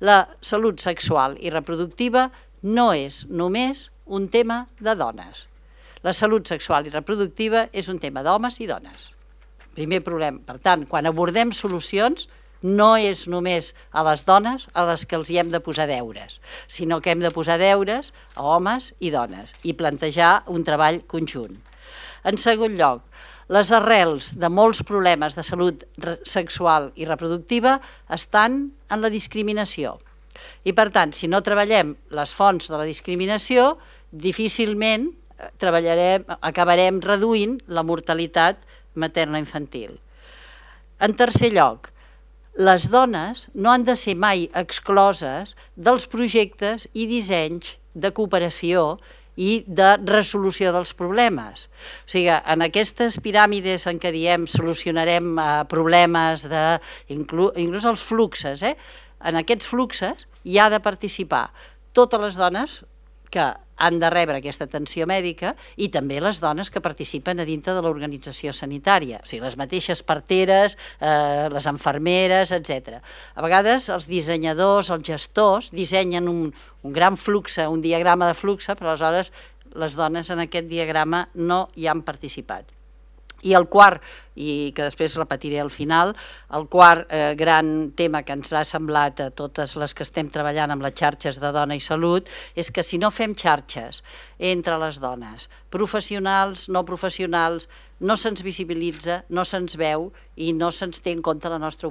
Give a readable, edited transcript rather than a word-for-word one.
La salut sexual i reproductiva no és només un tema de dones. La salut sexual i reproductiva és un tema d'homes i dones. Primer problema. Per tant, quan abordem solucions, no és només a les dones a les que els hi hem de posar deures, sinó que hem de posar deures a homes i dones i plantejar un treball conjunt. En segon lloc, les arrels de molts problemes de salut sexual i reproductiva estan en la discriminació. I per tant, si no treballem les fonts de la discriminació, difícilment acabarem reduint la mortalitat materno-infantil. En tercer lloc, les dones no han de ser mai excloses dels projectes i dissenys de cooperació i de resolució dels problemes. O sigui, en aquestes piràmides en què diem solucionarem problemes, inclús els fluxes, en aquests fluxes hi ha de participar totes les dones que han de rebre aquesta atenció mèdica i també les dones que participen a dintre de l'organització sanitària, o sigui, les mateixes parteres, les infermeres, etc. A vegades els dissenyadors, els gestors, dissenyen un gran flux, un diagrama de flux, però aleshores les dones en aquest diagrama no hi han participat. I el quart, i que després repetiré al final, el quart gran tema que ens ha semblat a totes les que estem treballant amb les xarxes de dona i salut és que si no fem xarxes entre les dones, professionals, no professionals, no se'ns visibilitza, no se'ns veu i no se'ns té en compte la nostra